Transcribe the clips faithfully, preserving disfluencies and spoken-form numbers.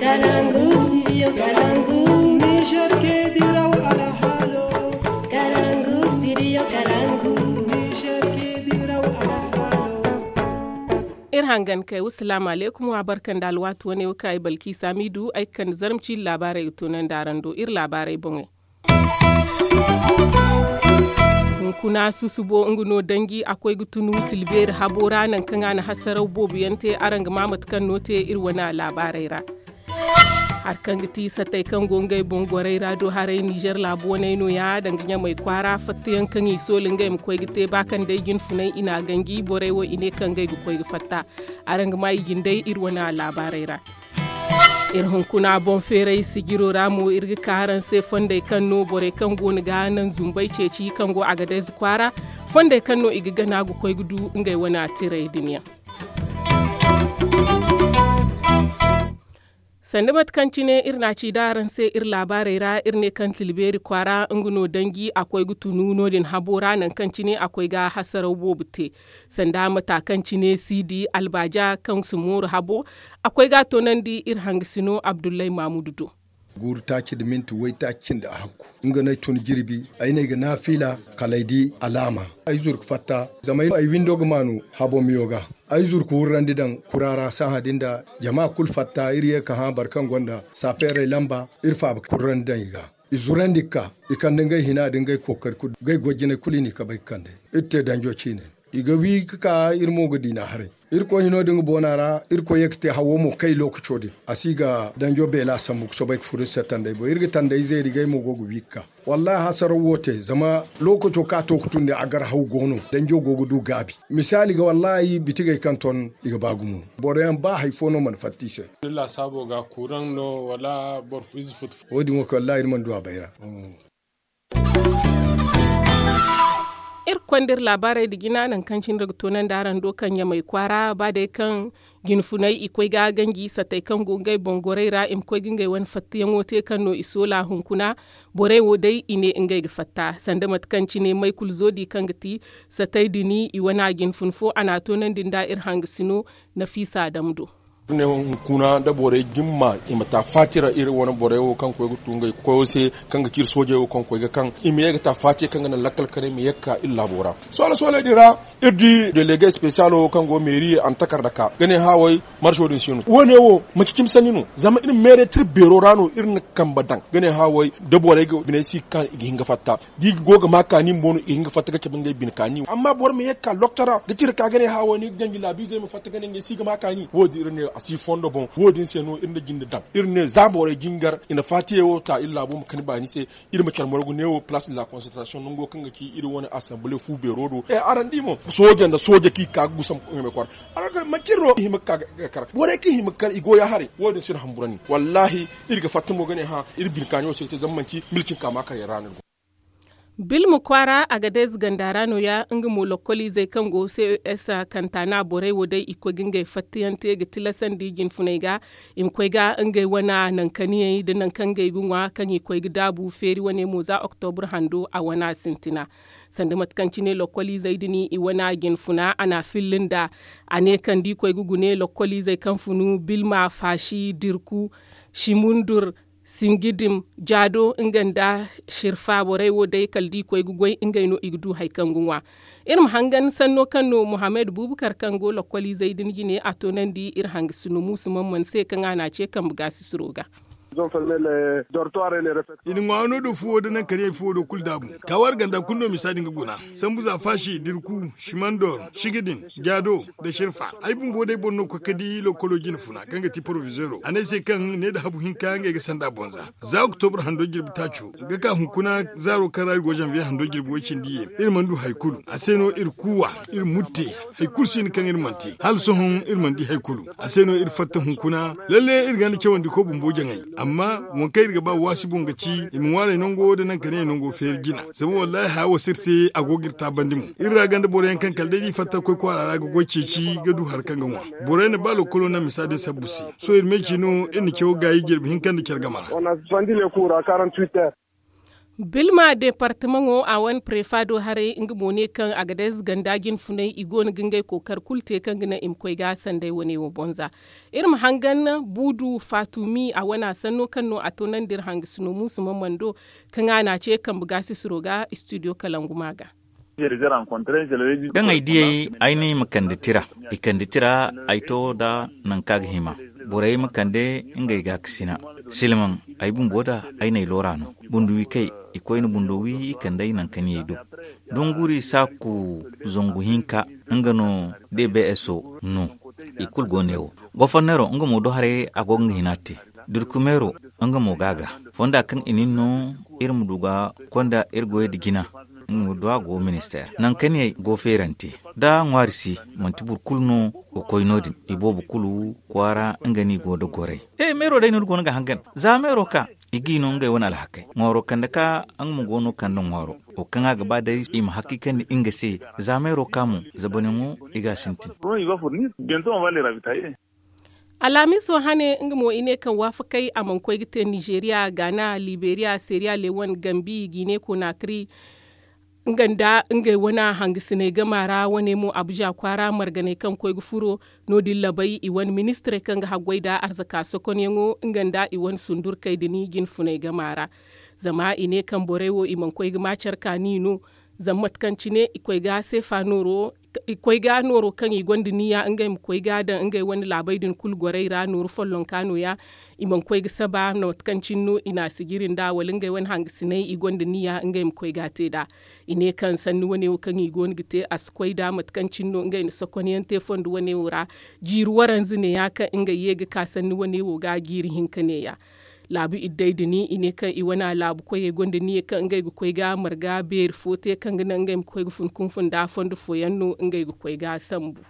Kalangu studio kalangu. Niger ke diraw alhalo. Kalangu studio kalangu. Niger ke diraw alhalo. Iri hangan kay wasalaamu aleykum wa barka nda alwaati wane wo kaŋ ay balki samidu ay ga kande zarma ciiri laabaarey ga toonandi araŋ do iri laabaarey boŋey. Hunkuna susubo nga no danji a koy ga tunu tilbeeri habo ra nangu kaŋ a na hasaraw boobo yaŋ te araŋ ga ma mate kaŋ no te iri wane laabaarey ra. Hari kaŋ ga ti satey kaŋ go ngey boŋ gorey ra do haray nizer laabu waney no- ya danga ɲamey kwaara fattayaŋ kaŋ i soola ngey ma koy ga te ba kaŋ day jinfunay i n'a ganji borey wo i ne kaŋ ngey ga koy ga fatta. Araŋ ga ma i jindey iri wane laabaarey ra. Iri hunkuna boŋ feeray sijiro ra mo iri ga ka araŋ se fondey kaŋ no borey kaŋ go no ga naŋ zumbay ceeci kaŋ go a ga day za kwaara fondey kaŋ no i ga gana ga koy ga du ngey wane tiray din yaŋ. Sanda mate kaŋ cine iri n'a ci da araŋ se iri laabaarey ra iri ne kaŋ tilbeeri kwaara nga no danji a koy ga tunu no- din habo ra nangu kaŋ cine a koy ga hasaraw boobo te. Sanda mata kaŋ cine siidi albaaja kaŋ si mooru habo a koy ga a toonandi iri hangasino abdullahi maamudu do. Guuru taaci nda minti waytaaci cindi a hakku nga no ay tun jirbi. Ay ne ay ga naafiila kala ay di alaama. Ay zuru ga fatta zama ay windo ga maanu habo miyo ga. Ay zuru ga wurrandi daŋ kura ra sahã din da jama kulu fatta iri ye ga hã boro kaŋ gonda saapeerey lamba iri faaba ga kurrandi daŋ i ga. I zurandi ga ka i kande ngey hina nda ngey kookari kulu ngey goy jinay kulu i n'i kabay ga kande. Iri te danjo ciine i ga wi ga ka iri mo ga diina haray. Irkoy hino din ga boona ra irkoy ye ga te hawo mo kay lookaco din a si ga danjo beela sambu ga soobay ga furo iri se tanday boŋ iri ga tanday zeeri ga ay mo go ga wi ga ka. Wallahi hasaraw wo te zama lookaco kaŋ a to ga tun din a gar haw go no danjo go ga du gaabi. Misaali ga wallahi bitigey kaŋ ton i ga ba gumo. Boro yaŋ ba hari fo no mana fatta i se. Ni laasaabo ga kuuraŋ no wala boro ize futu fo wo- din wo kay wallahi iri mana du a bayra. Iri ga konda iri laabaarey nda jina nangu kaŋ cine iri ga toonandi araŋ do kaŋ ɲamey kwaara ba day kaŋ jinfunay i koy ga ganji satey kaŋ go ngey boŋ gorey ra i ma koy ga ngey wane fattayaŋo te kaŋ no i soola hunkuna. Borey wo day i ne ngey ga fatta sanda mate kaŋ cine may kulu zoodi kaŋ ga ti satey din i wane jinfun fo a n'a toonandi nda iri hangasino. Nafiisa dam do. Iri ne hunkuna da borey jimma i ma ta faati ra iri wane borey wo kaŋ koy ga tu ngey koyo se kaŋ ga ci iri soojey wo kaŋ koy ga kaŋ i ma ye ga ta faati kaŋ ga naŋ lakkal kanay ma ye ga ka iri laabo ra. Soole sooley din ra iri di delege espesiyalo kaŋ go meeri a na takarda ka ga ne hã way. Marso din si no wo- ne wo manci cimi sanni no zama iri meeray tira beero ra no iri na kambe daŋ ga ne hã way da borey ga biney si ga ka i ga hin ga fatta. Da i go ga ma kaani bumbo no i ga hin ga fatta ga cabe ngey bine kaani amma boro ma ye ga ka lokta ra ga tira ka ga ne hã wo- ne i ga ganji laabiizey ma fatta ga ne ngey si ga ma kaani wo- din iri ne a si fondo boŋ wo- din se no iri na jinde daŋ iri ne za borey jingar i na faatiyey wo ta iri laabo ma kani baani se. Iri ma care morgu ne wo palaas de la konsantarasiyoŋ nango kaŋ ga ci iri wane asanbale fu beero do araŋ di mo sooja nda sooja kaŋ i ga ka ga gusam ngey me kwaara. Araŋ ga manci iri no i hima ga ka ga kar borey kaŋ i hima ga kar i go ya haray wo- din si iri hamburandi. Wallaahi iri ga fatta mo ga ne hã iri bine kaani wo se ga te zama manci milcinka ma kar yaŋ ra no iri go. Bilma kwaara a ga day zaganda ra no- ya nga mo lokkoliizey kaŋ go ces kanta na borey wo day i koy ga ngey fattayaŋ te ga tilasandi jinfuney ga i ma koy ga ngey wana nankaniyey nda nankaŋ ngey ga ŋwa kaŋ i koy ga daabu feeri wane mo za oktobur hando a wana sintina. Sanda mate kaŋ cine lokkoliizey din i wana jinfuna a n'a filli nda a ne kaŋ da i koy ga gune lokkoliizey kaŋ funu bilma faasi dirku simundur sinjidim jaado nga nda sirfa borey wo day kala da i koy ga goy ngey no i ga du hari kaŋ ga ŋwa. Iri ma hangan sanno kaŋ no muhammad bubakar kaŋ go lokkoliizey din jine a toonandi iri hangasino muusu man mana se kaŋ a n'a ce kambe gaasisiro ga. I na ŋwaano do fuwo da naŋ kariyaŋ fuwo do kulu daabu. Taawar ganda kulu no misa din ga guna sambu za faasi dirku simandor sigidin jaado da sirfa. Ay bumbo day boro no koy ga di lokolo jine funa kaŋ ga ti porofizeero a ne ay se kaŋ ne nda habu hinka ngey ga sanda boŋ za za oktobur hando jirbi taaco ga ka hunkuna zaaro kaŋ ra iri go zanviye hando jirbi way cindi ye iri mana du hari kulu a se no iri kuuwa iri mutte. Hari kulu si hin kaŋ iri mana te hala sohõ iri mana di hari kulu. A se no iri fatta hunkuna lalle iri ganda cawandi ko bumbo jaŋay. Amma waŋ kaŋ iri ga ba waasi boŋ ga ci i ma ŋwaaray nango nda naŋ ka ne nango feeri jina. Zama wallaahi haya wo si iri se a go ga iri taabandi mo. Iri ra ganda boro yaŋ kaŋ kala day da i fatta ga koy kwaara ra ga goy ceeci ga du hari kaŋ ga ŋwa. Borey na ba lokkolo naŋ misa din sabbu se. Sohõ iri me ci no iri na caw gaayi jirbi hinka nda care game ra. Bilma deepartamaŋo a wane prefa do haray nga mo ne kaŋ a ga day za ganda jinfunay i go no ga ngey kookari kulu te kaŋ ga naŋ i ma koy ga sanday wane wo bonza. Iri ma hangan buudu faatumi a wane a sanno kaŋ no a toonandi iri hangasino muusu mamando kaŋ a n'a ce kambe gaasisiro ga istidiyo kalangu ma ga. Kaŋ ay diyey ay ne i ma kande tira i kande tira ay to nda nangu kaŋ a ga hima borey ma kande ngey gaakasina silmaŋ ay bumbo da ay n'ay loora no bunduwi kay i koyne bundo wi i kande ay nangu kaŋ yay do dunguri saaku zangu hinka nga no de beeso no i kulu go ne wo gofornero nga mo do haray a go ga nga hina te durkumeero nga mo ga a ga fonda kaŋ i nin no iri ma du ga konda iri goyey nda jina nga ma du a go ministeer nangu kaŋ yay go feerante da ŋwaari si manti boro kulu no ga koy no- din iboobo kulu kwaara nga no i go nda goray e meero day no iri go no ga hangan za meero ka i g'i no ngey wane alhakey ŋwaaro kande ka nga ma go no kande ŋwaaro wo kaŋ a ga ba day i ma hakiikandi nga se za meero ka mo zabaneŋo i ga a sintin. Alhamiso hane nga mo i ne kaŋ waafakey a mana koy ga te nizeeriya gaana liberiya seeriya lewan gambi gine konakri nga nda ngey wane hangasiney gama ra wane mo abuza kwaara marganey kaŋ koy ga furo no- din labay i wane ministirey kaŋ ga haggoy nda arzaka sokonyaŋo nga nda i wane sundurkey din jinfuney gama ra. Zama i ne kaŋ borey wo i mana koy ga ma care kaani no zama mate kaŋ cine i koy ga seefa nooro i koy ga nooro kaŋ i gonda niya ngey ma koy ga daŋ ngey wane laabey din kulu gorey ra nooru follonka nooya. I mana koy ga saba mate kaŋ cine no i n'a sijiri nd'a wala ngey wane hangasiney i gonda niya ngey ma koy ga a te nd'a. I ne kaŋ sanni wane wo kaŋ i go no ga te a si koy nd'a mate kaŋ cine no ngey na sokonyaŋ te fondo wane wo ra. Jiiri waranza neeya kaŋ ngey ye ga ka sanni wane wo ga jiiri hinka neeya. Laabu iddey din i ne kaŋ i wane laabu koyey gonda niya kaŋ ngey ga koy ga marga beeri fo te kaŋ ga naŋ ngey ma koy ga fun kunfun nda fondo fooyaŋ no ngey ga koy ga sambu.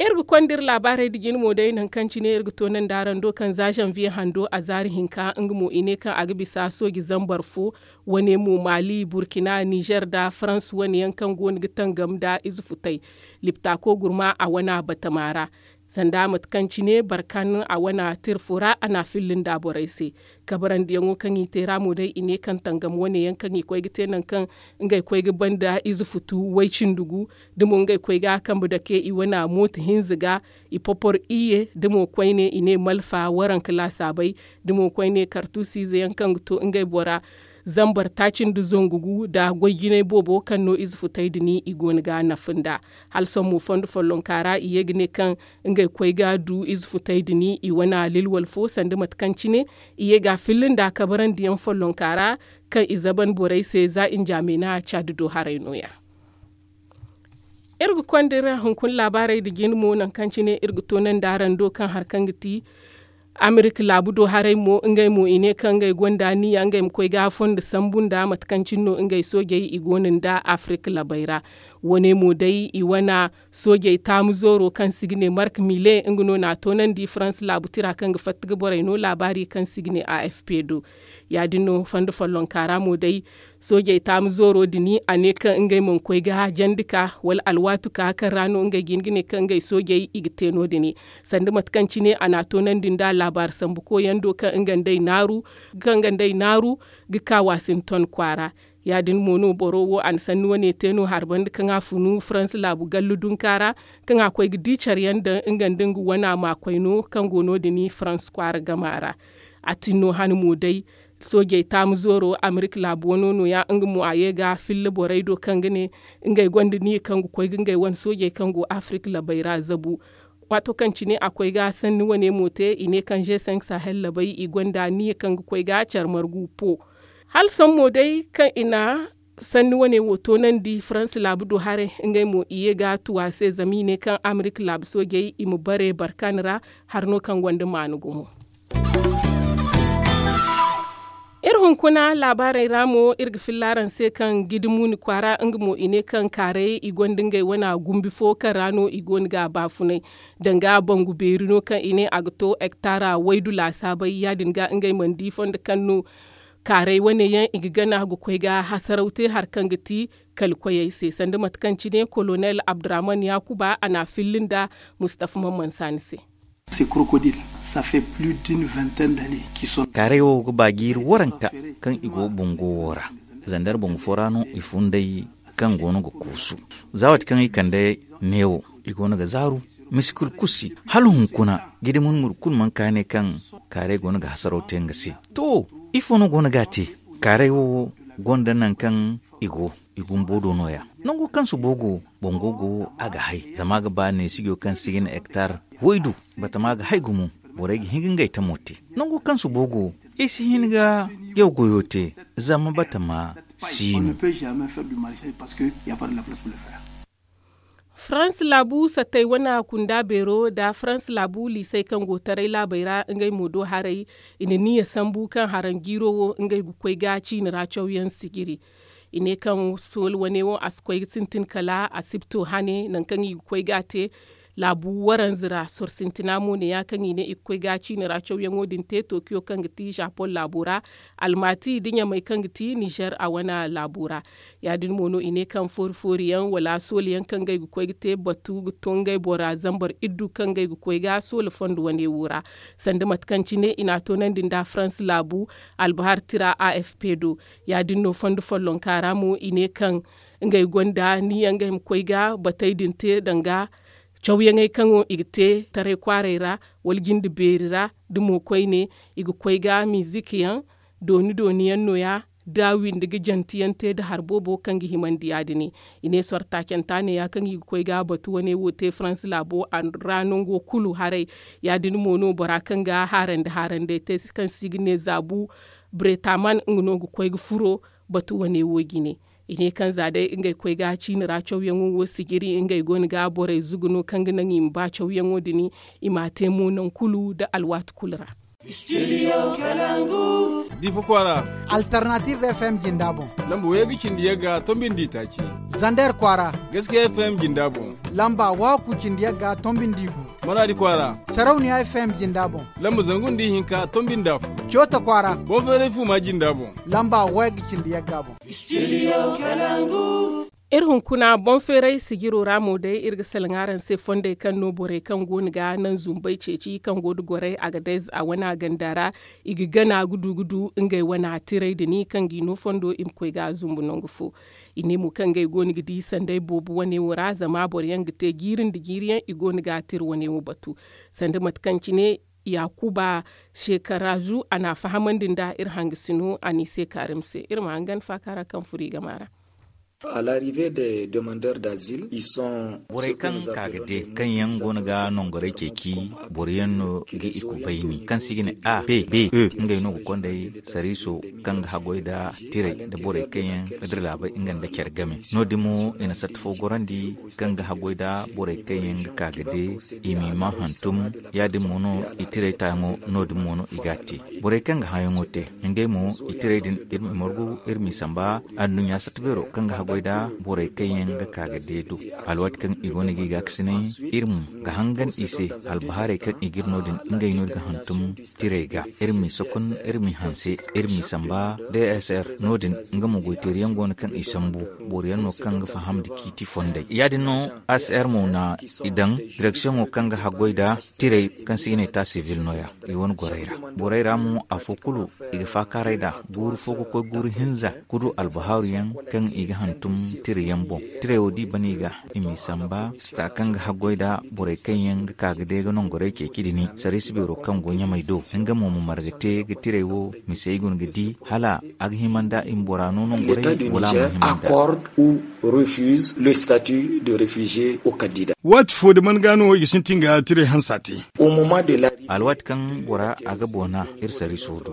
Iri ga konda iri laabaarey nda jine mo day nangu kaŋ cine iri ga toonandi araŋ do kaŋ za zanviye hando a zaari hinka nga mo i ne kaŋ a ga bisa sooji zambar fo wane mo maali burkina nizer nda farans wane yaŋ kaŋ go no ga tangam nda ize futay liptaako gurma a wane batama ra. Sanda mate kaŋ cine barkan a wane tirfo ra a n'a filli nda borey se. Kabarandiyaŋo kaŋ i te ra mo day i ne kaŋ tangam wane yaŋ kaŋ i koy ga te nangu kaŋ ngey koy ga banda ize futu way cindi gu da mo ngey koy ga kambe dake i wane mooto hinza ga i popor iyye da mo koyne i ne malfa waranka laasaabey da mo koyne kartuusiize yaŋ kaŋ ga to ngey bora zambar taaci nda zangu gu nda goy jinay boobo kaŋ no ize futey din i go no ga nafa nda hala sohõ mo fondo follonka ra i ye ga ne kaŋ ngey koy ga du ize futey din i wane lilwal fo sanda mate kaŋ cine i ye ga a filli nda kabarandiyaŋ follonka ra kaŋ i zaban borey se za injamena caadi do haray nooya. Iri ga konda iri hunkuna laabaarey nda jine mo nangu kaŋ cine iri ga toonandi araŋ do kaŋ hari kaŋ ga ti amerika laabu do haray mo ngey mo i ne kaŋ ngey gonda niya ngey ma koy ga fondo sambu nda mate kaŋ cine no ngey soojey i go no nda afirika labey ra. Wane mo day i wane soojey taamu zooro kaŋ se i ga ne mark mile nga no n'a toonandi faransa laabu tira kaŋ ga fatta ga borey no laabaari kaŋ se i ga ne a f p do. Ya- din no fondo follonka ra mo day soojey taamu zooro din a ne kaŋ ngey mana koy ga jandi ka wala alwaatu ka kaŋ ra no ngey ga hin ga ne kaŋ ngey soojey i ga te no- din. Sanda mate kaŋ cine a n'a toonandi nda laabaari sambu koyando kaŋ nga nd'ey naaru ga ka waasinton kwaara. Ya- din mo no boro wo a na sanni wane te no hari banda kaŋ a funu faransa laabu gallu dunka ra kaŋ a koy ga di care yaŋ daŋ nga nda nga wane maakoy no kaŋ go no- din faransa kwaara gama ra. A tin no hane mo day soojey taamu zooro amerika laabu wano nooya nga mo a ye ga filla borey do kaŋ ga ne ngey gonda niya kaŋ ga koy ga ngey wane soojey kaŋ go afirika labey ra zabu. Waato kaŋ cine a koy ga sanni wane mo te i ne kaŋ g cinq sahel labey i gonda niya kaŋ ga koy ga care margu po. Hala sohõ mo day kaŋ i na sanni wane wo toonandi faransa laabu do haray ngey mo i ye ga tu a se zama i ne kaŋ amerika laabu soojey i ma bare barkan ra. Hari no kaŋ gonda maana gumo. Iri hunkuna laabaarey ra mo iri ga filla araŋ se kaŋ gidi muuni kwaara nga mo i ne kaŋ kaaray i gonda ngey wane gumbi fo kaŋ ra no i go no ga a baafunay. Danga bangu beeri no kaŋ i ne a ga to hektara waydu laasaabay ya- din ga ngey mana di fondo kaŋ no kaaray wane yaŋ i ga gana ga koy ga hasaraw te hari kaŋ ga ti kala koyey se sanda mate kaŋ cine kolonel abdurahman yaakuba a n'a filli nda mustafa mamman saani se. Kaaray wo ga ba jiiri waranka kaŋ i go bango wo ra. Zandar bangu fo ra no i funday kaŋ go no ga kuusu. Za waati kaŋ i kande neewo, i go no ga zaaru misikul kusi hala hunkuna. Gidi murmur kulu mana kaane kaŋ kaaray go no ga hasaraw te nga se. To, ifo no go no ga a te? Kaaray wo gonda nangu kaŋ i go i gumbo do no- ya. Nango kaŋ subo go, bango go a ga hay zama a ga ba neesijo kaŋ si ga na hektar waydu. Batama ga hay gumo. Borey ga hin ga ngey tamo te. Nango kaŋ subo go, i si hin ga yaw goyo te zama batama si no. Farans laabu sattey wane kunda beero nda farans laabu liisey kaŋ go taray laabey ra ngey mo do haray. I na niya sambu kaŋ haraŋ jiiro wo ngey ga koy ga ciini ra cawyaŋ sijiri. I ne kaŋ sool wane wo a si koy ga sintin kala asibto hane nangu kaŋ i ga koy ga a te. Laabu waranza ra soro sintina mo ne- ya kaŋ i ne i ga koy ga ciini ra cawyaŋo din te tokiyo kaŋ ga ti japoŋ laabo ra, almati nda ɲamey kaŋ ga ti nizer a wane laabo ra. Ya- din mo no i ne kaŋ foori foori yaŋ wala sooli yaŋ kaŋ ngey ga koy ga te batu ga to ngey bora zambar iddu kaŋ ngey ga koy ga soola fondo wane wo ra. Sanda mate kaŋ cine i n'a toonandi nda farans laabu albahar tira a f p do. Ya- din no fondo follonka ra mo i ne kaŋ ngey gonda ni yaŋ ngey ma koy ga batey din te danga cawyaŋey kaŋ i ga te taray kwaaray ra wala jinde beeri ra. Da mo koyne i ga koy ga mizik yaŋ dooni dooni yaŋ no- ya da windi ga janti yaŋ te nda hari boobo kaŋ ga himandi ya- din. I ne sortaacanta ne- ya kaŋ i ga koy ga batu wane wo te farans laabo ra nango kulu haray. Ya- din mo no bora kaŋ ga haarandi haarandey te kaŋ se i ga ne zaabu bretaman nga no ga koy ga furo batu wane wo jine. I ne kaŋ za day ngey koy ga ciini ra cawyaŋo wo sijiri ngey go no ga borey zugu no kaŋ ga naŋ i ma ba cawyaŋo din i m'a te mo nangu kulu nda alwaati kulu ra. Difa kwaara. Alternative f m jinda boŋ. Lamba wayye ga cindi yagga tombindi taaci. Zander kwaara. Gaskiya f m jinda boŋ. Lamba wahakku cindi yagga tombindi gu. Maraadi kwaara. Sarauniya f m jinda boŋ. Lamba zangu nda ihinka tombindi afo. Coota kwaara. Boŋ feeray fuuma jinda boŋ. Lamba wayye ga cindi yagga boŋ. Iri hunkuna boŋ feeray sijiro ra mo day iri ga salaŋ araŋ se fondey kaŋ no borey kaŋ go no ga naŋ zumbey ceeci kaŋ go nda gorey a ga day a wane a ganda ra. I ga gana ga du ga du ngey wane tiray din kaŋ ga i no fondo i ma koy ga zumbu nangu fo. I ne mo kaŋ ngey go no ga di sanday boobo wane wo ra zama boro yaŋ ga te jiiri nda jiiri yaŋ i go no ga tira wane wo batu. Sanda mate kaŋ cine yakuba shekarazu a n'a fahamandi nda iri hangasino a n'i se kaarim se iri ma hangan faaka ra kaŋ furo i gama ra. Borey kaŋ ka ga de kaŋ yaŋ go no ga nongoray ceeci boro yaŋ no ga i kubayni kaŋ se i ga ne a p b e ngey no ga konday sariiso kaŋ ga haggoy nda tiray nda borey kaŋ yaŋ ga dira laabey nga nda care game. No- din mo i na satta fo gorandi kaŋ ga haggoy nda borey kaŋ yaŋ ga ka ga de i m'i ma hantum. Ya- din mo no i tiray taayaŋo no- din mo no i g'a te. Borey kaŋ ga hããyaŋo te ngey mo i tiray din iri ma i margu iri m'i samba. Anduɲɲa satta beero kaŋ ga haggoy nda borey kaŋ yaŋ ga ka ga de do alwaati kaŋ i go no ga i gaakasinay iri mo ga hangan i se albahaarey kaŋ i g'iri no- din ngey no iri ga hantum tiray ga iri m'i sokon iri m'i hanse iri m'i samba. D s r no- din nga mo goyteeriyaŋ go no kaŋ i sambu boro yaŋ no kaŋ ga faham nda ciiti fondey ya- din no. A s r mo na i daŋ direksiyoŋo kaŋ ga haggoy nda tiray kaŋ se i ga ne ta sivil no- ya i wane gorey ra. Borey ra mo afo kulu i ga faakaaray nd'a guuru fo ga koy guuru hinza ga du albahaaru yaŋ kaŋ i ga hantum tira yaŋ boŋ. Tiray wo da i ban i ga i m'i samba sita kaŋ ga haggoy nda borey kaŋ yaŋ ga ka ga day ga nongoray ceeci din sariisi beero kaŋ go ɲamay do nga mo ma marga te ga tiray wo mise ay guna ga di hala a ga hima nda i ma bora no nongoray wala a ma hima nda. Accorde ou refuse le statut de réfugié au candidat. Waati fo da man ga no i ga sintin ga tiray hansa te. Alwaati kaŋ bora a ga boona iri sariiso do.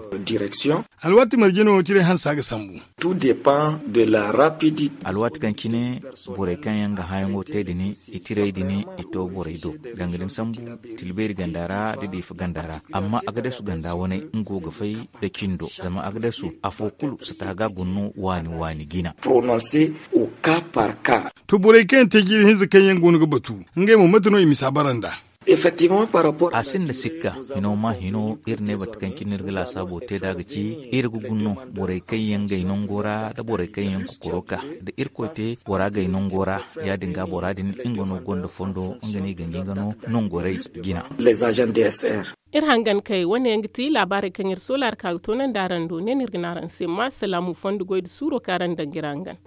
Alwaati marje no tiray hansa ga sambu. Tout dépend de la rapidité. Alwaati kaŋ cine borey kaŋ yaŋ ga hããyaŋo te din i tiray din i to borey do. Danga da ni sambu tilbeeri ganda ra da diifa ganda ra amma agadasu ganda wane nga go ga fay nda cindo zama agadasu afo kulu sata ga guna no waani waani jina. Prononcer au cas par cas. To borey kaŋ yaŋ te jiiri hinza kaŋ yaŋ go no ga batu ngey mo mate no i misa bara nd'a. A sinda sikka, hino ma hino iri ne bate kaŋ cine iri ga laasaabo te nd'a ga ci, iri ga guna no borey kaŋ yaŋ gay nango ra nda borey kaŋ yaŋ ga koro ka, da irkoy te bora gay nango ra. Ya- din ga bora din nga no gonda fondo nga no i ga ngi nga no nango ra i jina. Iri hangan kay wane yaŋ ga ti laabaarey kaŋ iri soolaari ka ga toonandi araŋ do ne no iri ga ne araŋ se ma salaamu fondo goy nda suuro kaŋ araŋ daŋ ga iri hangan.